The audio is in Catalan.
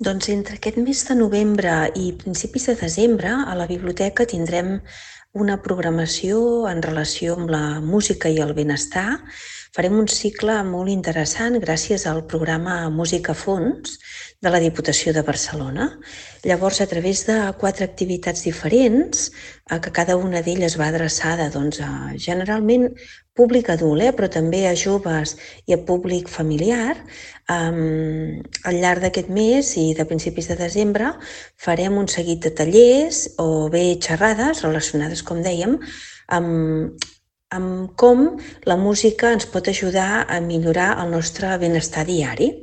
Doncs entre aquest mes de novembre i principis de desembre a la biblioteca tindrem una programació en relació amb la música i el benestar. Farem un cicle molt interessant gràcies al programa Música a Fons de la Diputació de Barcelona. Llavors, a través de 4 activitats diferents, que cada una d'elles va adreçada generalment públic adult, però també a joves i a públic familiar, al llarg d'aquest mes i de principis de desembre farem un seguit de tallers o bé xerrades relacionades, com dèiem, amb com la música ens pot ajudar a millorar el nostre benestar diari.